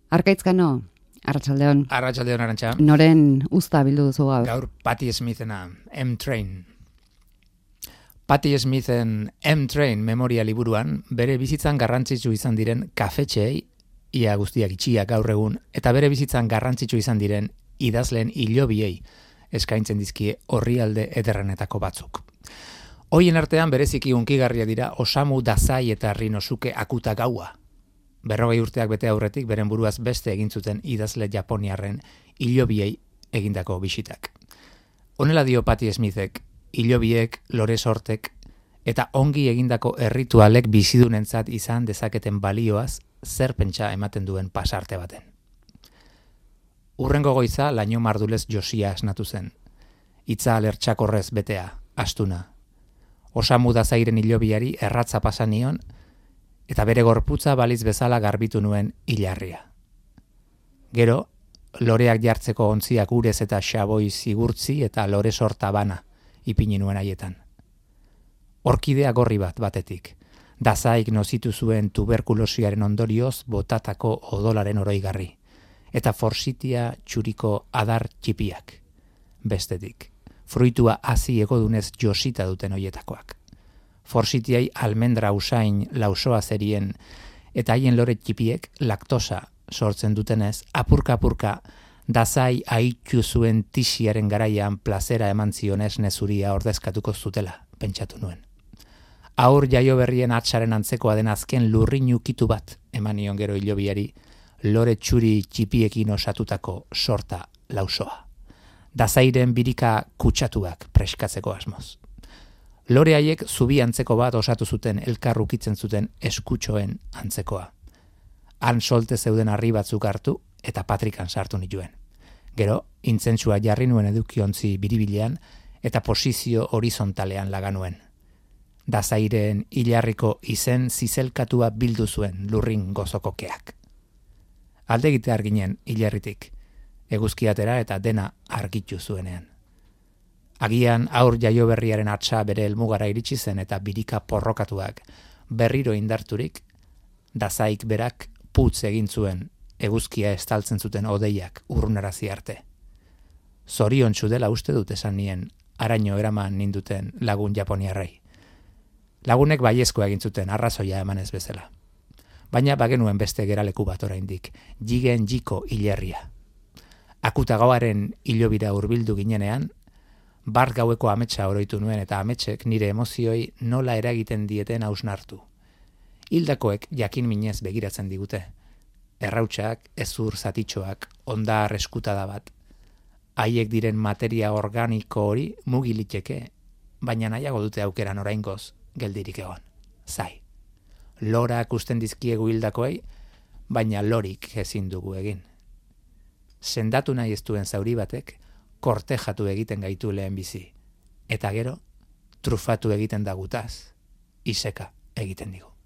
Arkaitzkano, arratsaldeon. Arratsaldeon, Arantxa. Noren usta bildu duzu gaur? Gaur Patti Smithena, M-Train. Patti Smithen M-Train memoria liburuan bere bizitzan garrantzitsu izan diren kafetxeei, ia guztiak itxiak gaur egun, eta bere bizitzan garrantzitsu izan diren idazleen hilobiei eskaintzen dizkie orrialde ederrenetako batzuk. Hoien artean bereziki hunkigarria dira Osamu Dazai eta Rinosuke Akuta Gaua. 40 urteak bete aurretik beren buruaz beste egin zuten idazle japoniarren hilobiei egindako bisitak. Honela dio Patti Smithek, hilobiek, lore sortek eta ongi egindako erritualek bizidunentzat izan dezaketen balioaz zer pentsa ematen duen pasarte baten. Urrengo goiza laino mardulez josia esnatu zen. Hitza alertxakorrez betea, astuna. Osamu Dazairen hilobiari erratza pasanion eta bere gorputza baliz bezala garbitu nuen hilarria. Gero, loreak jartzeko ontziak urez eta xaboi zigurtzi eta lore sorta bana ipini nuen haietan. Orkidea gorri bat batetik, Dazaik nozitu zuen tuberkulosiaren ondorioz botatako odolaren oroigarri, eta forsitia txuriko adar txipiak, bestetik, fruitua hazi egodunez josita duten hoietakoak. Forsitiai almendra usain lausoa zerien eta haien lore txipiek laktosa sortzen dutenez, apurka-apurka Dazai aittu zuen tisiaren garaian plazera eman zionez nezuria ordezkatuko zutela, pentsatu nuen. Aur jaio berrien atsaren antzekoa den azken lurrin ukitu bat emanion gero hilobiari lore txuri txipiekin osatutako sorta lausoa. Dazairen birika kutsatuak preskatzeko asmoz. Lore haiek zubi antzeko bat osatu zuten elkarrukitzen zuten eskutxoen antzekoa. Han solte zeuden harri batzuk hartu eta patrikan sartu nituen. Gero, intzentsua jarri nuen edukiontzi biribilean eta posizio horizontalean laganuen. Dazairen hilarriko izen zizelkatua bildu zuen lurrin gozokokeak. Alde egitear ginen hilarritik, eguzkiatera eta dena argitu zuenean. Agian aur jaio berriaren atsa bere helmugara iritsi zen eta birika porrokatuak berriro indarturik, Dazaik berak putz egin zuen eguzkia estaltzen zuten odeiak urrunarazi arte. Zoriontsu dela uste dut esan nien araño eraman ninduten lagun japoniarrei. Lagunek baiezkoa egin zuten arrazoia emanez bezala. Baina bagenuen beste geraleku bat oraindik, jigen jiko hilerria. Akutagaoaren hilobira hurbildu ginenean, bart gaueko ametsa oroitu nuen eta ametsek nire emozioi nola eragiten dieten hausnartu. Hildakoek jakin minez begiratzen digute. Errautsak, ezur zatitxoak, ondar eskutada bat. Haiek diren materia organiko hori mugiliteke, baina nahiago dute aukeran oraingoz geldirik egon. Zai. Lorak usten dizkiegu hildakoei, baina lorik ezin dugu egin. Sendatu nahi ez duen zauri batek, kortejatu egiten gaitu lehen bizi, eta gero, trufatu egiten da gutaz, iseka egiten digu.